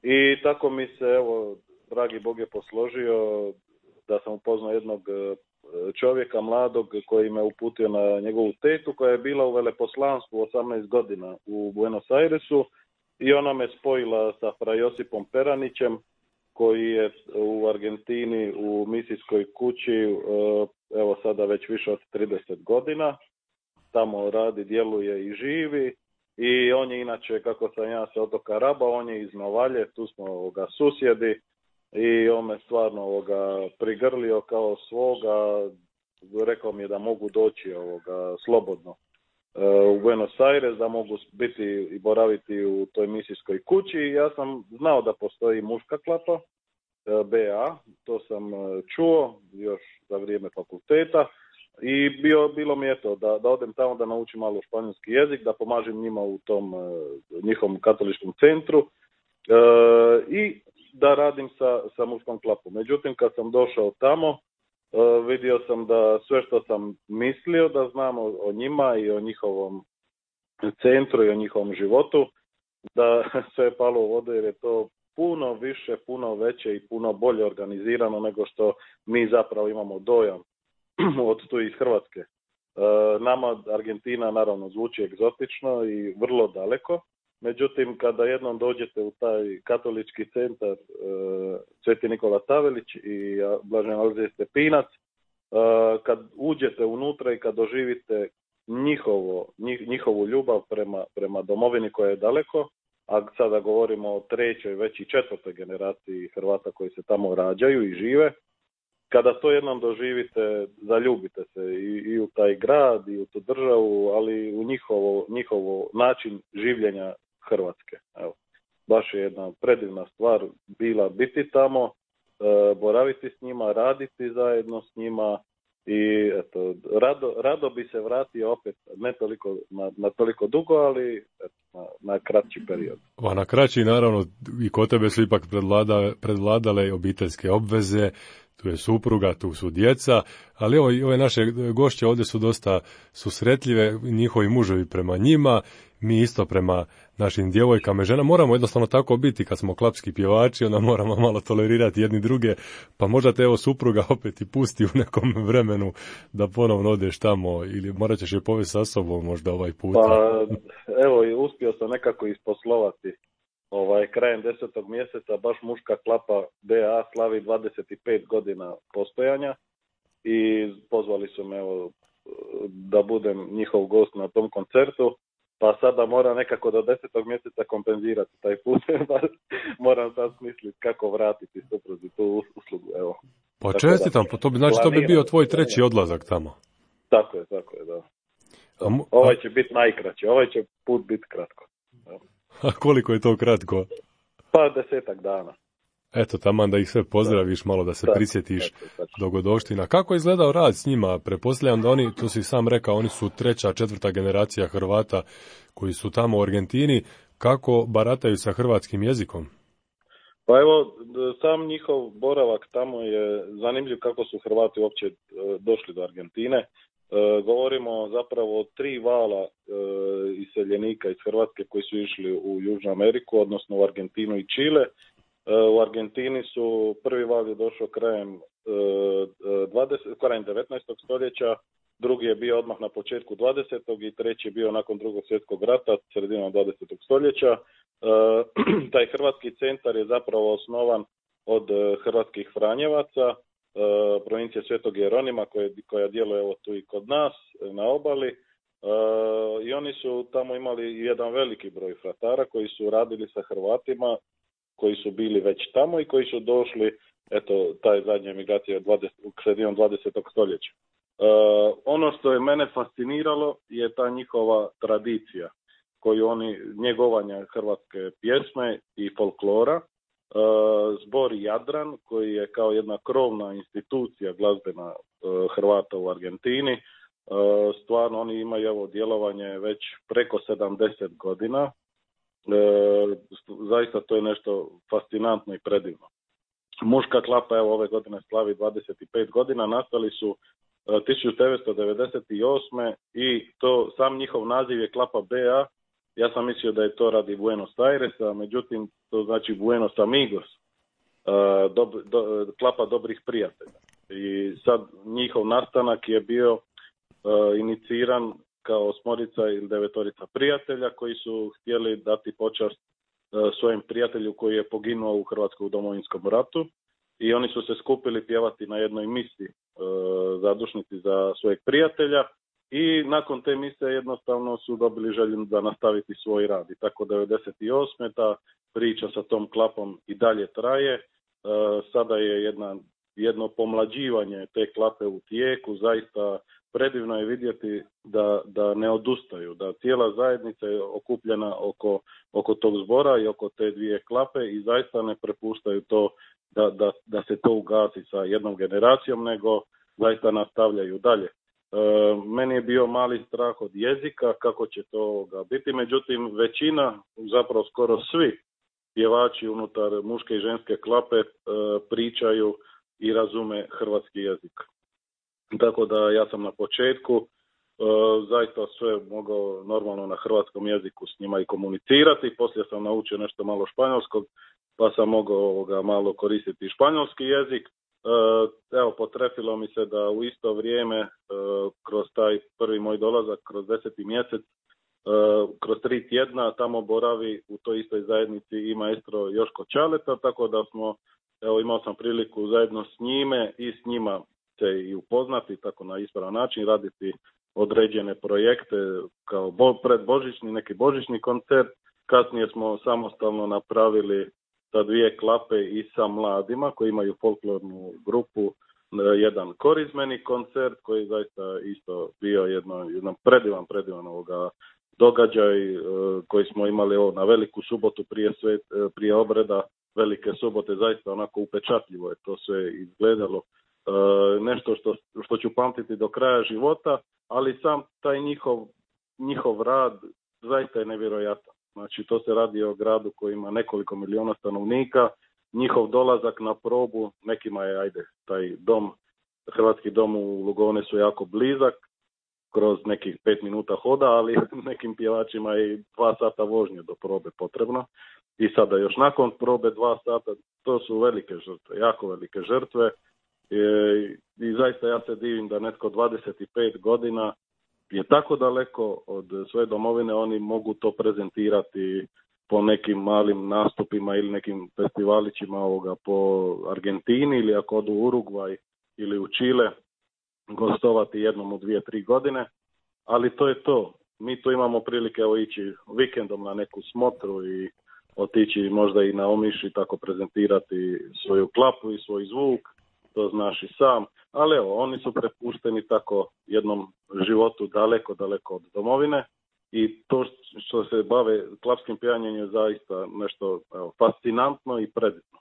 H: I tako mi se, evo, dragi Bog je posložio da sam upoznao jednog čovjeka mladog koji me uputio na njegovu tetu koja je bila u veleposlanstvu osamnaest godina u Buenos Airesu i ona me spojila sa fra Josipom Peranićem koji je u Argentini u misijskoj kući, evo sada već više od trideset godina. Tamo radi, djeluje i živi. I on je inače, kako sam ja sa otoka Raba, on je iz Novalje, tu smo ovoga, susjedi i on me stvarno ovoga, prigrlio kao svoga, rekao mi je da mogu doći ovoga, slobodno e, u Buenos Aires, da mogu biti i boraviti u toj misijskoj kući. Ja sam znao da postoji muška klapa, e, B A, to sam čuo još za vrijeme fakulteta. I bio, bilo mi je to da, da odem tamo da naučim malo španjolski jezik, da pomažem njima u tom uh, njihovom katoličkom centru uh, i da radim sa, sa muškom klapom. Međutim, kad sam došao tamo, uh, vidio sam da sve što sam mislio da znam o, o njima i o njihovom centru i o njihovom životu, da sve je palo u vodu jer je to puno više, puno veće i puno bolje organizirano nego što mi zapravo imamo dojam od tu iz Hrvatske. E, nama Argentina naravno zvuči egzotično i vrlo daleko, međutim kada jednom dođete u taj katolički centar e, Sveti Nikola Tavelić i Blažen Alojzije Stepinac, e, kad uđete unutra i kad doživite njihovo, njih, njihovu ljubav prema, prema domovini koja je daleko, a sada govorimo o trećoj, već i četvrtoj generaciji Hrvata koji se tamo rađaju i žive, kada to jednom doživite, zaljubite se i, i u taj grad, i u tu državu, ali u njihovo, njihovo način življenja Hrvatske. Evo, baš je jedna predivna stvar bila biti tamo, e, boraviti s njima, raditi zajedno s njima i eto, rado, rado bi se vratio opet, ne toliko, na, na toliko dugo, ali eto, na, na kraći period.
B: A na kraći, naravno, i kod tebe su ipak predvlada, predvladale obiteljske obveze, tu je supruga, tu su djeca, ali ovo, ove naše gošće ovdje su dosta susretljive, njihovi muževi prema njima, mi isto prema našim djevojkama i ženama. Moramo jednostavno tako biti kad smo klapski pjevači, onda moramo malo tolerirati jedni druge, pa možda te evo supruga opet i pusti u nekom vremenu da ponovno odeš tamo ili morat ćeš je povesti sa sobom možda ovaj puta.
H: Pa evo, uspio sam nekako isposlovati ovaj, krajem desetog mjeseca baš muška klapa B A slavi dvadeset pet godina postojanja i pozvali su me evo, da budem njihov gost na tom koncertu. Pa sada mora nekako do desetog mjeseca kompenzirati taj put. Moram sad smisliti kako vratiti supruzi tu uslugu. Evo.
B: Pa čestitam, to bi, znači to bi bio tvoj treći odlazak tamo.
H: Tako je, tako je, da.
B: A mu,
H: ovaj će biti najkraći, ovaj će put biti kratko.
B: A koliko je to kratko?
H: Pa desetak dana.
B: Eto, taman da ih sve pozdraviš, malo da se tako, prisjetiš tako, tako. dogodovština. Kako je izgledao rad s njima? Pretpostavljam da oni, to si sam rekao, oni su treća, četvrta generacija Hrvata koji su tamo u Argentini. Kako barataju sa hrvatskim jezikom?
H: Pa evo, sam njihov boravak tamo je zanimljiv kako su Hrvati uopće došli do Argentine. E, govorimo zapravo o tri vala e, iseljenika iz Hrvatske koji su išli u Južnu Ameriku, odnosno u Argentinu i Čile. U Argentini su prvi val je došao krajem, dvadesetog krajem devetnaestog stoljeća, drugi je bio odmah na početku dvadesetog i treći je bio nakon drugog svjetskog rata, sredinom dvadesetog stoljeća. Taj hrvatski centar je zapravo osnovan od hrvatskih Franjevaca, provincije Svetog Jeronima koja, koja djeluje evo tu i kod nas na obali. I oni su tamo imali jedan veliki broj fratara koji su radili sa Hrvatima koji su bili već tamo i koji su došli, eto, taj zadnja emigracija sredinom dvadesetog stoljeća. E, ono što je mene fasciniralo je ta njihova tradicija, koju oni, njegovanja hrvatske pjesme i folklora, e, zbor Jadran, koji je kao jedna krovna institucija glazbena e, Hrvata u Argentini, e, stvarno oni imaju evo djelovanje već preko sedamdeset godina. E, zaista to je nešto fascinantno i predivno. Muška klapa evo ove godine slavi dvadeset pet godina, nastali su e, tisuću devetsto devedeset osme i to sam njihov naziv je klapa B A. Ja sam mislio da je to radi Buenos Airesa, međutim to znači Buenos Amigos, e, do, do, klapa dobrih prijatelja. I sad njihov nastanak je bio e, iniciran kao osmorica ili devetorica prijatelja koji su htjeli dati počast uh, svojim prijatelju koji je poginuo u Hrvatskom domovinskom ratu i oni su se skupili pjevati na jednoj misi uh, zadušnici za svojeg prijatelja i nakon te mise jednostavno su dobili želju da nastaviti svoj rad. I tako devedeset osme ta priča sa tom klapom i dalje traje. Uh, sada je jedna, jedno pomlađivanje te klape u tijeku, zaista predivno je vidjeti da, da ne odustaju, da cijela zajednica je okupljena oko, oko tog zbora i oko te dvije klape i zaista ne prepuštaju to da, da, da se to ugasi sa jednom generacijom, nego zaista nastavljaju dalje. E, meni je bio mali strah od jezika, kako će to biti, međutim većina, zapravo skoro svi pjevači unutar muške i ženske klape e, pričaju i razume hrvatski jezik. Tako da ja sam na početku e, zaista sve mogao normalno na hrvatskom jeziku s njima i komunicirati. Poslije sam naučio nešto malo španjolskog, pa sam mogao ovoga, malo koristiti španjolski jezik. E, evo, potrefilo mi se da u isto vrijeme, e, kroz taj prvi moj dolazak, kroz deseti mjesec, e, kroz tri tjedna tamo boravi u toj istoj zajednici i maestro Joško Čaleta, tako da smo, evo, imao sam priliku zajedno s njime i s njima se i upoznati, tako na ispravan način, raditi određene projekte kao bo, predbožićni, neki božićni koncert. Kasnije smo samostalno napravili sa dvije klape i sa mladima koji imaju folklornu grupu jedan korizmeni koncert koji je zaista isto bio jedno, jedan predivan, predivan ovoga događaj koji smo imali ovo na Veliku subotu prije, sve, prije obreda Velike subote, zaista onako upečatljivo je to sve izgledalo. E, nešto što, što ću pamtiti do kraja života, ali sam taj njihov, njihov rad zaista je nevjerojatan. Znači to se radi o gradu koji ima nekoliko miliona stanovnika, njihov dolazak na probu, nekima je, ajde, taj dom, hrvatski dom u Lugone su jako blizak, kroz nekih pet minuta hoda, ali nekim pjevačima je dva sata vožnje do probe potrebno. I sada još nakon probe dva sata, to su velike žrtve, jako velike žrtve. I, i zaista ja se divim da netko dvadeset pet godina je tako daleko od svoje domovine, oni mogu to prezentirati po nekim malim nastupima ili nekim festivalićima ovoga po Argentini ili ako odu u Urugvaj ili u Čile gostovati jednom u dvije, tri godine, ali to je to. Mi tu imamo prilike evo, ići vikendom na neku smotru i otići možda i na Omiš i tako prezentirati svoju klapu i svoj zvuk, to znaš i sam, ali evo, oni su prepušteni tako jednom životu daleko, daleko od domovine i to što se bave klapskim pjevanjem je zaista nešto evo, fascinantno i predivno.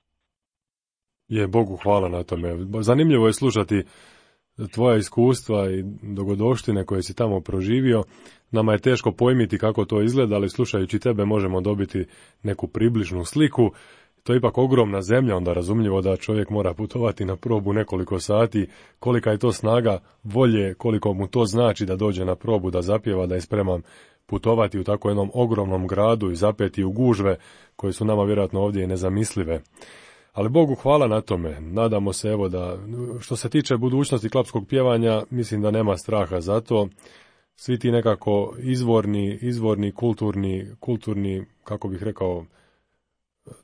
B: Je, Bogu hvala na tome. Zanimljivo je slušati tvoja iskustva i dogodovštine koje si tamo proživio. Nama je teško pojmiti kako to izgleda, ali slušajući tebe možemo dobiti neku približnu sliku. To je ipak ogromna zemlja, onda razumljivo da čovjek mora putovati na probu nekoliko sati. Kolika je to snaga volje, koliko mu to znači da dođe na probu, da zapjeva, da je spreman putovati u tako jednom ogromnom gradu i zapeti u gužve koje su nama vjerojatno ovdje i nezamislive. Ali Bogu hvala na tome. Nadamo se evo da, što se tiče budućnosti klapskog pjevanja, mislim da nema straha za to. Svi ti nekako izvorni, izvorni, kulturni, kulturni, kako bih rekao,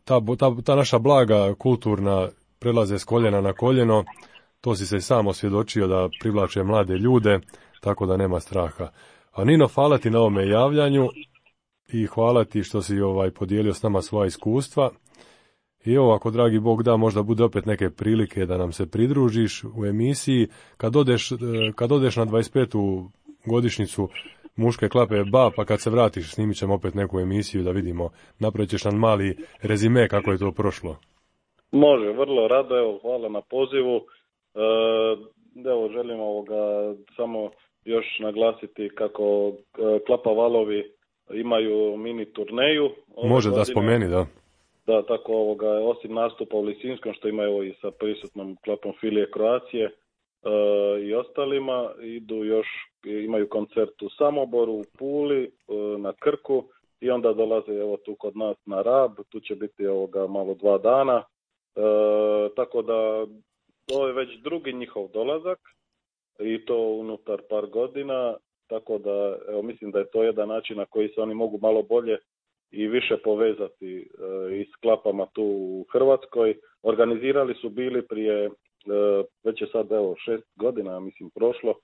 B: ta, ta, ta naša blaga kulturna prelaze s koljena na koljeno. To si se i sam osvjedočio da privlače mlade ljude, tako da nema straha. A Nino, hvala ti na ovome javljanju i hvala ti što si ovaj podijelio s nama svoja iskustva. I evo, ako dragi Bog da, možda bude opet neke prilike da nam se pridružiš u emisiji. Kad odeš, kad odeš na dvadeset petu godišnjicu muške klape Ba, pa kad se vratiš snimit ćemo opet neku emisiju da vidimo, napravit ćeš nam mali rezime kako je to prošlo.
H: Može, vrlo rado, evo, hvala na pozivu. E, evo, želim ovoga samo još naglasiti kako Klapa Valovi imaju mini turneju.
B: Može godine. Da spomeni, da.
H: Da, tako ovoga, osim nastupa u Lisinskom, što ima evo i sa prisutnom klapom Filije Kroacije e, i ostalima, idu još, imaju koncert u Samoboru, u Puli, e, na Krku i onda dolaze evo tu kod nas na Rab, tu će biti ovoga malo dva dana, e, tako da to je već drugi njihov dolazak i to unutar par godina, tako da evo, mislim da je to jedan način na koji se oni mogu malo bolje i više povezati e, i s klapama tu u Hrvatskoj. Organizirali su bili prije, e, već je sad evo šest godina, mislim prošlo, e,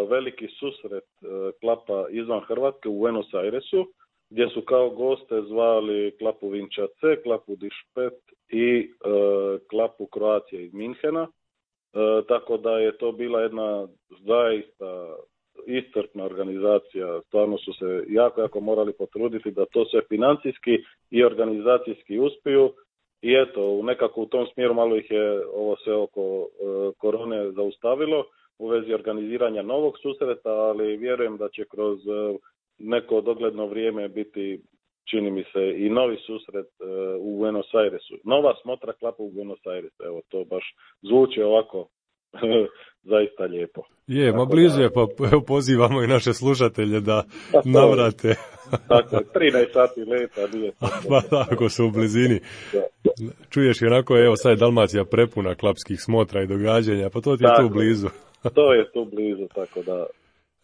H: veliki susret e, klapa izvan Hrvatske u Buenos Airesu, gdje su kao goste zvali klapu Vinčace, klapu Dišpet i e, klapu Kroacije iz Minhena, e, tako da je to bila jedna zaista iscrpna organizacija, stvarno su se jako, jako morali potruditi da to sve financijski i organizacijski uspiju i eto, nekako u tom smjeru malo ih je ovo sve oko e, korone zaustavilo u vezi organiziranja novog susreta, ali vjerujem da će kroz e, neko dogledno vrijeme biti, čini mi se, i novi susret e, u Buenos Airesu. Nova smotra klapa u Buenos Airesu, evo to baš zvuči ovako zaista lijepo.
B: Je, ma blizu je, pa evo pozivamo i naše slušatelje da tako, navrate.
H: Tako je, trinaest sati leta, nije to.
B: Pa tako su u blizini. Čuješ i onako, evo sad je Dalmacija prepuna klapskih smotra i događanja, pa to ti je tako, tu blizu.
H: To je tu blizu, tako da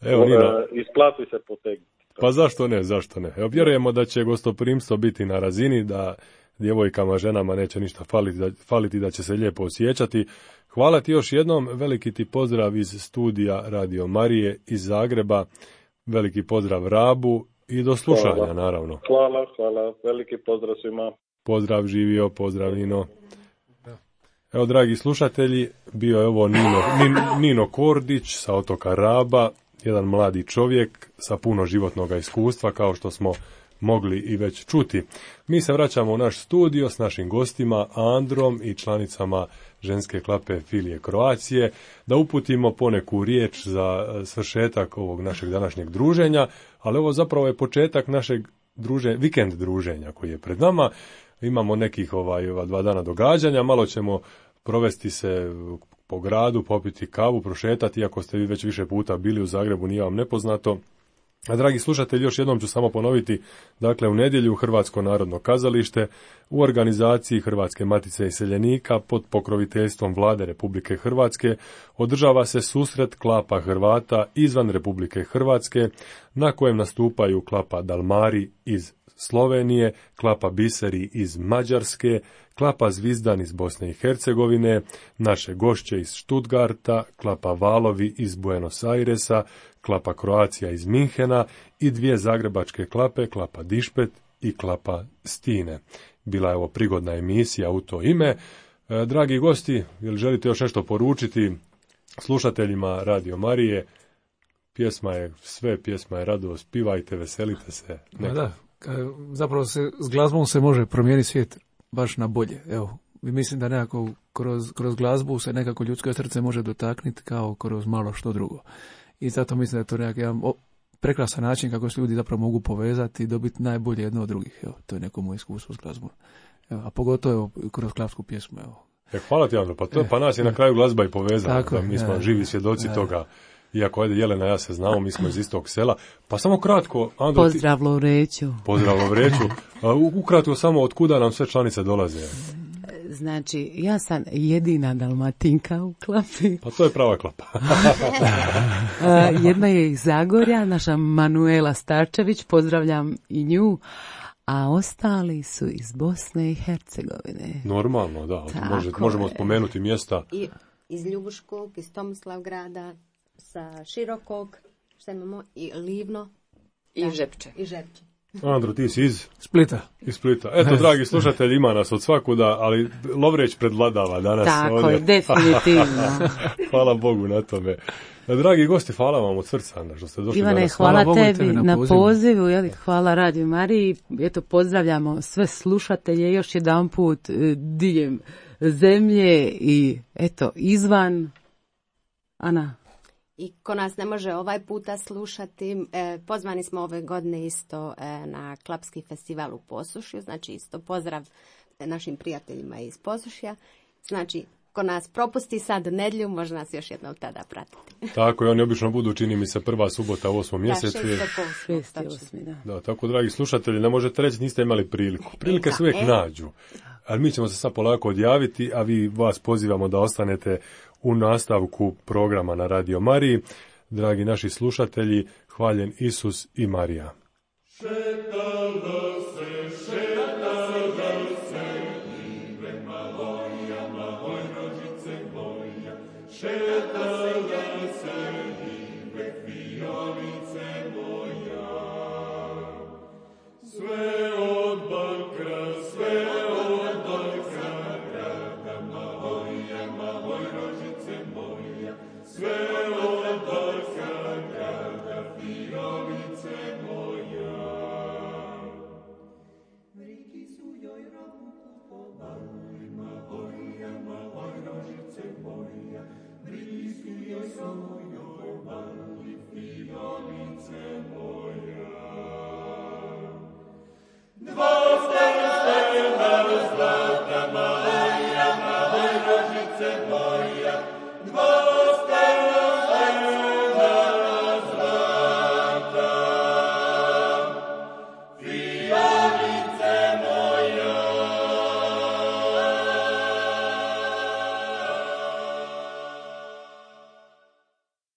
B: evo, Nino,
H: isplati se potegnuti.
B: Pa zašto ne, zašto ne. Evo, vjerujemo da će gostoprimstvo biti na razini, da djevojkama, ženama neće ništa faliti, da, faliti, da će se lijepo osjećati. Hvala ti još jednom, veliki ti pozdrav iz studija Radio Marije iz Zagreba, veliki pozdrav Rabu i do slušanja, hvala. Naravno.
H: Hvala, hvala, veliki pozdrav svima.
B: Pozdrav, živio, pozdrav Nino. Evo, dragi slušatelji, bio je ovo Nino, Nino Kordić sa otoka Raba, jedan mladi čovjek sa puno životnog iskustva, kao što smo mogli i već čuti. Mi se vraćamo u naš studio s našim gostima Androm i članicama ženske klape Filije Kroacije, da uputimo poneku riječ za svršetak ovog našeg današnjeg druženja, ali ovo zapravo je početak našeg druženja, vikend druženja koji je pred nama. Imamo nekih ovaj, ova dva dana događanja, malo ćemo provesti se po gradu, popiti kavu, prošetati, iako ste vi već više puta bili u Zagrebu, nije vam nepoznato. A dragi slušatelji, još jednom ću samo ponoviti, dakle u nedjelju Hrvatsko narodno kazalište u organizaciji Hrvatske matice iseljenika pod pokroviteljstvom Vlade Republike Hrvatske održava se susret klapa Hrvata izvan Republike Hrvatske, na kojem nastupaju klapa Dalmari iz Slovenije, klapa Biseri iz Mađarske, klapa Zvizdan iz Bosne i Hercegovine, naše gošće iz Stuttgarta, klapa Valovi iz Buenos Airesa, klapa Kroacija iz Minhena i dvije zagrebačke klape, klapa Dišpet i klapa Stine. Bila je ovo prigodna emisija u to ime. E, dragi gosti, jel želite još nešto poručiti slušateljima Radio Marije? Pjesma je sve, pjesma je radost, pivajte, veselite se.
D: Neka. Da, zapravo se, s glazbom se može promijeniti svijet baš na bolje. Evo, mislim da nekako kroz, kroz glazbu se nekako ljudsko srce može dotakniti kao kroz malo što drugo. I zato mislim da je to nekako jedan prekrasan način kako se ljudi zapravo mogu povezati i dobiti najbolje jedno od drugih. Evo, to je neko moje iskustvo s glazbom. Evo, a pogotovo evo, kroz klapsku pjesmu. Evo.
B: E, hvala ti, Andro, pa, to, pa nas je na kraju glazba i povezala. Da, mi smo ja, živi svjedoci ja, toga. Iako, ajde, Jelena, ja se znamo, mi smo iz istog sela. Pa samo kratko, Andro...
C: Pozdrav Lovreću.
B: Pozdrav Lovreću. Ukratko samo, od kuda nam sve članice dolaze?
C: Znači, ja sam jedina Dalmatinka u klapi.
B: Pa to je prava klapa.
C: Jedna je iz Zagorja, naša Manuela Starčević, pozdravljam i nju. A ostali su iz Bosne i Hercegovine.
B: Normalno, da. Može, možemo spomenuti mjesta.
G: I iz Ljubuškog, iz Tomislavgrada, sa Širokog, šta imamo, i Livno.
E: I da, Žepče.
G: I Žepče.
B: Andro, ti si iz
D: Splita.
B: Iz Splita. Eto, dragi slušatelji, ima nas od svakuda, ali Lovreć predvladava danas.
C: Tako
B: ovdje.
C: je, definitivno.
B: Hvala Bogu na tome. Dragi gosti, hvala vam od srca što ste došli.
C: Ivane,
B: danas.
C: hvala,
B: hvala
C: tebi,
B: tebi
C: na, na pozivu, pozivu jeli, hvala Radio Mariji. Eto, pozdravljamo sve slušatelje još jedan put diljem zemlje i eto, izvan. Ana.
G: I ko nas ne može ovaj puta slušati, eh, pozvani smo ove godine isto eh, na Klapski festival u Posušju, znači isto pozdrav našim prijateljima iz Posušja. Znači, ko nas propusti sad nedjelju, može nas još jednom tada pratiti.
B: Tako je, oni obično budu, čini mi se, prva subota u osmom mjesecu.
G: Da, šest osmi,
C: da.
B: Da, tako, dragi slušatelji, ne možete reći niste imali priliku. Prilike se uvijek e. nađu. Ali mi ćemo se sad polako odjaviti, a vi vas pozivamo da ostanete u nastavku programa na Radio Mariji. Dragi naši slušatelji, hvaljen Isus i Marija. Šeta.